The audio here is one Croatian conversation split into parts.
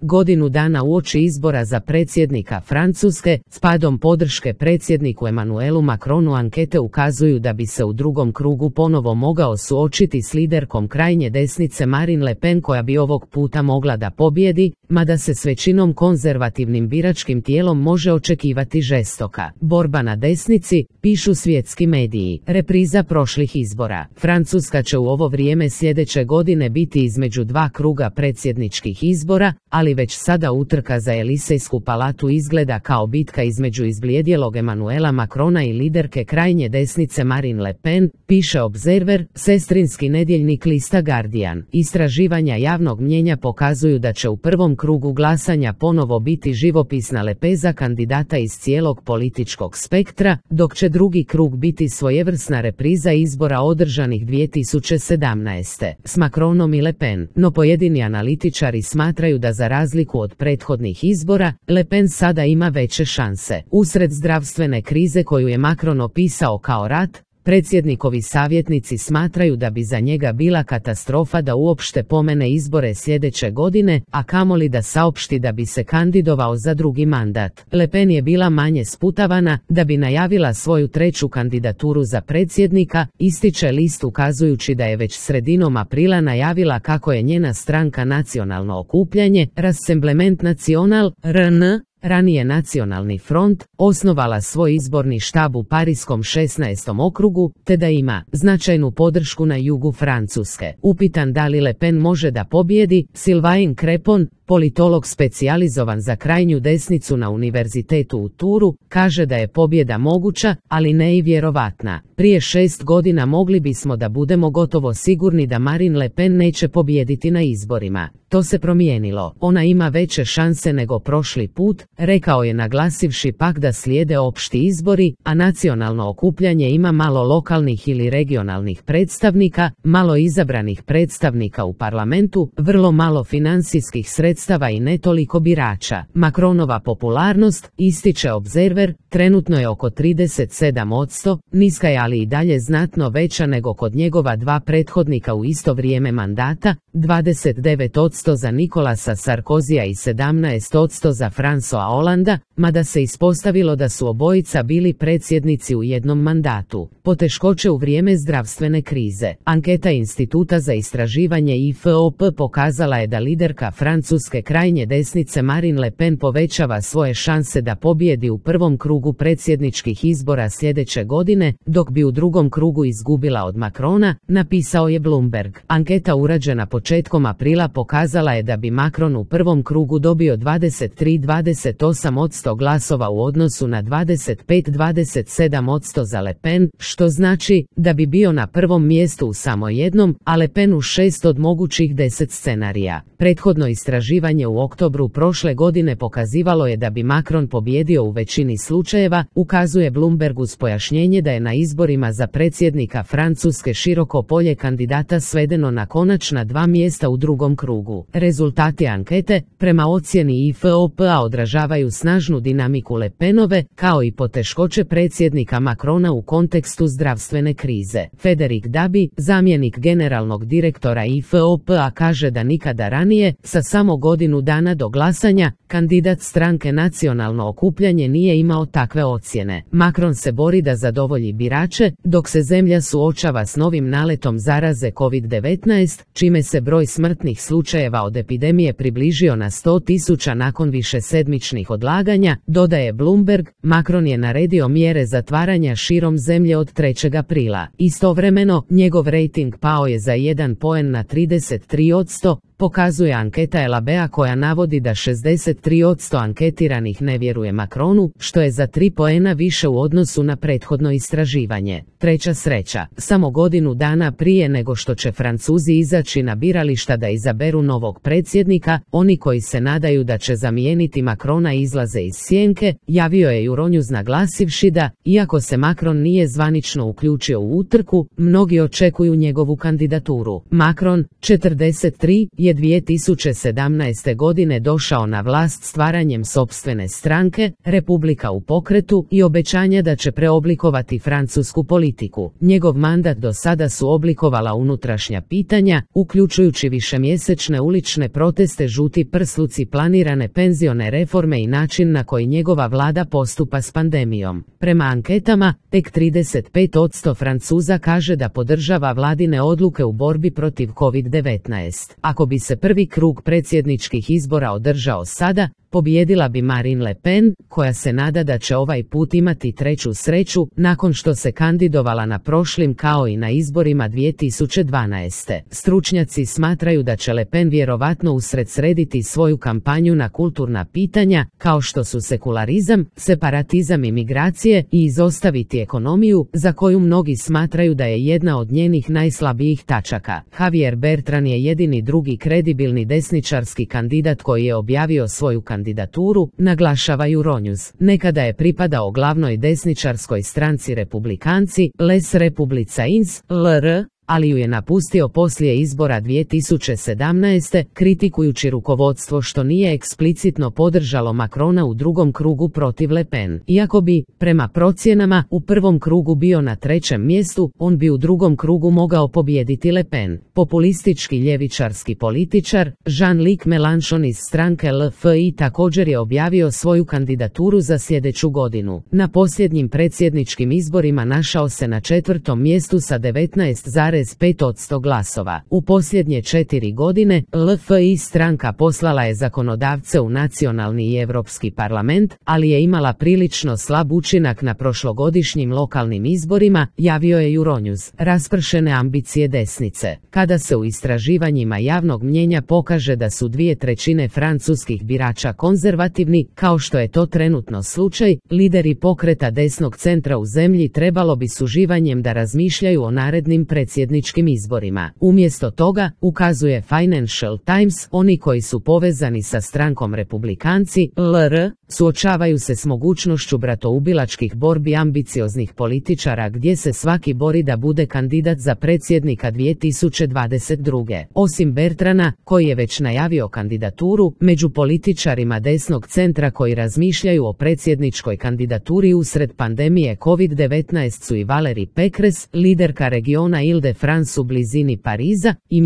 godinu dana uoči izbora za predsjednika Francuske, s padom podrške predsjedniku Emmanuelu Macronu ankete ukazuju da bi se u drugom krugu ponovo mogao suočiti s liderkom krajnje desnice Marine Le Pen koja bi ovog puta mogla da pobjedi, mada se s većinom konzervativnim biračkim tijelom može očekivati žestoka borba na desnici, pišu svjetski mediji. Repriza prošlih izbora. Francuska će u ovo vrijeme sljedeće godine biti između dva kruga predsjedničkih izbora, ali već sada utrka za Elisejsku palatu izgleda kao bitka između izblijedjelog Emmanuela Macrona i liderke krajnje desnice Marine Le Pen, piše Observer, sestrinski nedjeljnik lista Guardian. Istraživanja javnog mnijenja pokazuju da će u prvom krugu glasanja ponovo biti živopisna lepeza kandidata iz cijelog političkog spektra, dok će drugi krug biti svojevrsna repriza izbora održanih 2017. s Macronom i Le Pen, no pojedini analitičari smatraju da za razliku od prethodnih izbora, Le Pen sada ima veće šanse. Usred zdravstvene krize koju je Macron opisao kao rat, predsjednikovi savjetnici smatraju da bi za njega bila katastrofa da uopšte pomene izbore sljedeće godine, a kamoli da saopšti da bi se kandidovao za drugi mandat. Le Pen je bila manje sputavana da bi najavila svoju treću kandidaturu za predsjednika, ističe list ukazujući da je već sredinom aprila najavila kako je njena stranka Nacionalno okupljanje, Rassemblement National, RN, ranije Nacionalni front, osnovala svoj izborni štab u Pariskom 16. okrugu, te da ima značajnu podršku na jugu Francuske. Upitan da li Le Pen može da pobjedi, Sylvain Crepon, politolog specijalizovan za krajnju desnicu na univerzitetu u Touru, kaže da je pobjeda moguća, ali ne i vjerovatna. Prije 6 godina mogli bismo da budemo gotovo sigurni da Marine Le Pen neće pobijediti na izborima. To se promijenilo. Ona ima veće šanse nego prošli put, rekao je naglasivši pak da slijede opšti izbori, a nacionalno okupljanje ima malo lokalnih ili regionalnih predstavnika, malo izabranih predstavnika u parlamentu, vrlo malo financijskih sredstava i ne toliko birača. Macronova popularnost, ističe Observer, trenutno je oko 37%, niska je ali i dalje znatno veća nego kod njegova dva prethodnika u isto vrijeme mandata, 29% za Nicolasa Sarkozija i 17% za François Hollanda, mada se ispostavilo da su obojica bili predsjednici u jednom mandatu. Poteškoće u vrijeme zdravstvene krize. Anketa Instituta za istraživanje IFOP pokazala je da liderka francuske krajnje desnice Marine Le Pen povećava svoje šanse da pobjedi u prvom krugu predsjedničkih izbora sljedeće godine, dok bi u drugom krugu izgubila od Macrona, napisao je Bloomberg. Anketa urađena početkom aprila pokazala je da bi Macron u prvom krugu dobio 23-28% glasova u odnosu na 25-27% za Le Pen, što znači da bi bio na prvom mjestu u samo jednom, a Le Pen u 6 od mogućih 10 scenarija. Prethodno istraživanje u oktobru prošle godine pokazivalo je da bi Macron pobjedio u većini slučajeva, ukazuje Bloomberg uz pojašnjenje da je na izborima za predsjednika Francuske široko polje kandidata svedeno na konačna 2 mjesta u drugom krugu. Rezultati ankete, prema ocjeni IFOP-a, odražavaju snažnu dinamiku Le Penove, kao i poteškoće predsjednika Macrona u kontekstu zdravstvene krize. Frédéric Dabi, zamjenik generalnog direktora IFOP-a, kaže da nikada ranije, sa samo godinu dana do glasanja, kandidat stranke Nacionalno okupljanje nije imao takve ocjene. Macron se bori da zadovolji birače, dok se zemlja suočava s novim naletom zaraze COVID-19, čime se broj smrtnih slučajeva od epidemije približio na 100.000 nakon višesedmičnih odlaganja, dodaje Bloomberg. Macron je naredio mjere zatvaranja širom zemlje od 3. aprila. Istovremeno, njegov rejting pao je za 1 poen na 33%, pokazuje anketa Elabea koja navodi da 63% anketiranih ne vjeruje Macronu, što je za 3 poena više u odnosu na prethodno istraživanje. Treća sreća. Samo godinu dana prije nego što će Francuzi izaći na birališta da izaberu novog predsjednika, oni koji se nadaju da će zamijeniti Macrona izlaze iz sjenke, javio je Euronews naglasivši da, iako se Macron nije zvanično uključio u utrku, mnogi očekuju njegovu kandidaturu. Macron, 43, je 2017. godine došao na vlast stvaranjem sopstvene stranke, Republika u pokretu, i obećanja da će preoblikovati francusku politiku. Njegov mandat do sada su oblikovala unutrašnja pitanja, uključujući višemjesečne ulične proteste, žuti prsluci, planirane penzione reforme i način na koji njegova vlada postupa s pandemijom. Prema anketama, tek 35% Francuza kaže da podržava vladine odluke u borbi protiv COVID-19. Ako bi se prvi krug predsjedničkih izbora održao sada, pobijedila bi Marine Le Pen, koja se nada da će ovaj put imati treću sreću, nakon što se kandidovala na prošlim kao i na izborima 2012. Stručnjaci smatraju da će Le Pen vjerovatno usredsrediti svoju kampanju na kulturna pitanja, kao što su sekularizam, separatizam i migracije, i izostaviti ekonomiju, za koju mnogi smatraju da je jedna od njenih najslabijih tačaka. Javier Bertrand je jedini drugi kredibilni desničarski kandidat koji je objavio svoju kandidaturu, naglašava Euronews. Nekada je pripadao glavnoj desničarskoj stranci Republikanci, Les Républicains, LR, ali ju je napustio poslije izbora 2017. kritikujući rukovodstvo što nije eksplicitno podržalo Macrona u drugom krugu protiv Le Pen. Iako bi, prema procjenama, u prvom krugu bio na trećem mjestu, on bi u drugom krugu mogao pobijediti Le Pen. Populistički ljevičarski političar, Jean-Luc Mélenchon iz stranke LFI također je objavio svoju kandidaturu za sljedeću godinu. Na posljednjim predsjedničkim izborima našao se na četvrtom mjestu sa 19,5% glasova. U posljednje 4 godine, LFI stranka poslala je zakonodavce u nacionalni i europski parlament, ali je imala prilično slab učinak na prošlogodišnjim lokalnim izborima, javio je Euronews. Raspršene ambicije desnice. Kada se u istraživanjima javnog mnijenja pokaže da su 2/3 francuskih birača konzervativni, kao što je to trenutno slučaj, lideri pokreta desnog centra u zemlji trebalo bi s uživanjem da razmišljaju o narednim predsjedničkim izborima. Umjesto toga, ukazuje Financial Times, oni koji su povezani sa strankom Republikanci, LR, suočavaju se s mogućnošću bratoubilačkih borbi ambicioznih političara gdje se svaki bori da bude kandidat za predsjednika 2022. Osim Bertrana, koji je već najavio kandidaturu, među političarima desnog centra koji razmišljaju o predsjedničkoj kandidaturi usred pandemije COVID-19 su i Valérie Pécresse, liderka regiona Ile-de-France u blizini Pariza, i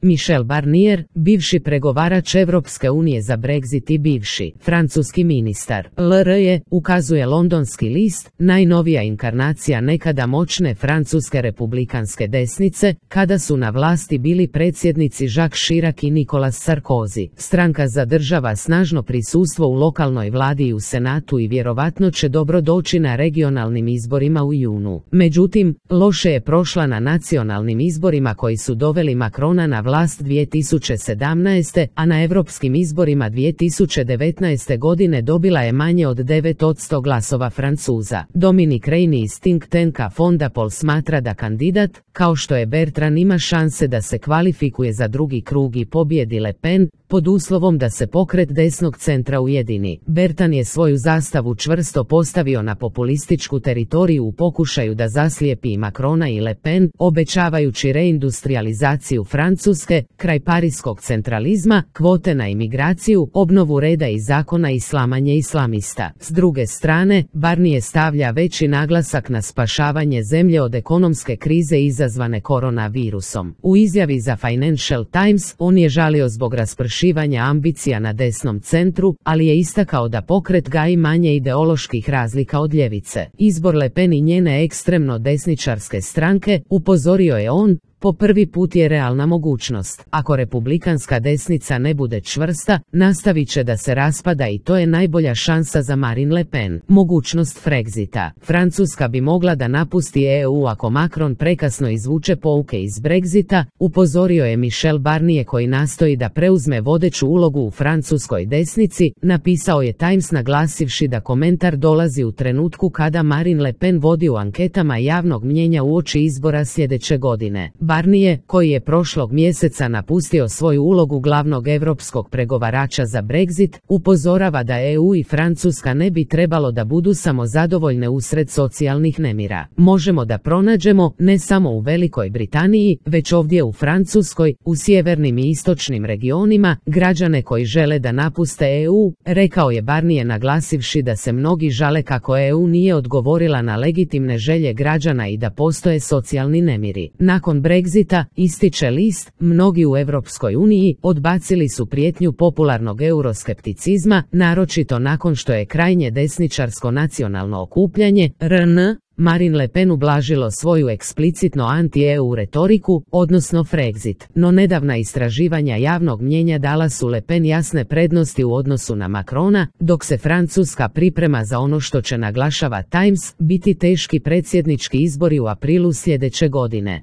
Michel Barnier, bivši pregovarač Europske unije za Brexit i bivši francuski ministar. LR je, ukazuje londonski list, najnovija inkarnacija nekada moćne francuske republikanske desnice, kada su na vlasti bili predsjednici Jacques Chirac i Nicolas Sarkozy. Stranka zadržava snažno prisustvo u lokalnoj vladi i u senatu i vjerovatno će dobro doći na regionalnim izborima u junu. Međutim, loše je prošla na nacionalnim izborima koji su doveli Macrona na vlast 2017. a na europskim izborima 2019. godine dobila je manje od 9% glasova Francuza. Dominic Reini iz think tanka Fonda Pol smatra da kandidat, kao što je Bertrand, ima šanse da se kvalifikuje za drugi krug i pobjedi Le Pen, pod uslovom da se pokret desnog centra ujedini. Bertrand je svoju zastavu čvrsto postavio na populističku teritoriju u pokušaju da zaslijepi Macrona i Le Pen, obećavajući reindustrializaciju Francuske, kraj parijskog centralizma, kvote na imigraciju, obnovu reda i zakona i slamanje islamista. S druge strane, Barnier stavlja veći naglasak na spašavanje zemlje od ekonomske krize izazvane koronavirusom. U izjavi za Financial Times, on je žalio zbog raspršivanja ambicija na desnom centru, ali je istakao da pokret gaji manje ideoloških razlika od ljevice. Izbor Le Pen i njene ekstremno desničarske stranke, upozorio je on, po prvi put je realna mogućnost. Ako republikanska desnica ne bude čvrsta, nastavit će da se raspada i to je najbolja šansa za Marine Le Pen. Mogućnost Brexita. Francuska bi mogla da napusti EU ako Macron prekasno izvuče pouke iz Brexita, upozorio je Michel Barnier koji nastoji da preuzme vodeću ulogu u francuskoj desnici, napisao je Times naglasivši da komentar dolazi u trenutku kada Marine Le Pen vodi u anketama javnog mnijenja uoči izbora sljedeće godine. Barnier, koji je prošlog mjeseca napustio svoju ulogu glavnog europskog pregovarača za Brexit, upozorava da EU i Francuska ne bi trebalo da budu samo zadovoljne usred socijalnih nemira. Možemo da pronađemo, ne samo u Velikoj Britaniji, već ovdje u Francuskoj, u sjevernim i istočnim regionima, građane koji žele da napuste EU, rekao je Barnier, naglasivši da se mnogi žale kako EU nije odgovorila na legitimne želje građana i da postoje socijalni nemiri. Nakon Brexita, ističe list, mnogi u Europskoj uniji odbacili su prijetnju popularnog euroskepticizma, naročito nakon što je krajnje desničarsko nacionalno okupljanje, RN, Marine Le Pen ublažilo svoju eksplicitno anti-EU retoriku, odnosno Frexit, no nedavna istraživanja javnog mnijenja dala su Le Pen jasne prednosti u odnosu na Macrona, dok se Francuska priprema za ono što će, naglašava Times, biti teški predsjednički izbori u aprilu sljedeće godine.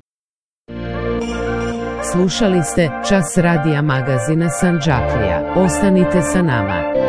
Slušali ste Čas radija magazina Sandžaklija. Ostanite sa nama.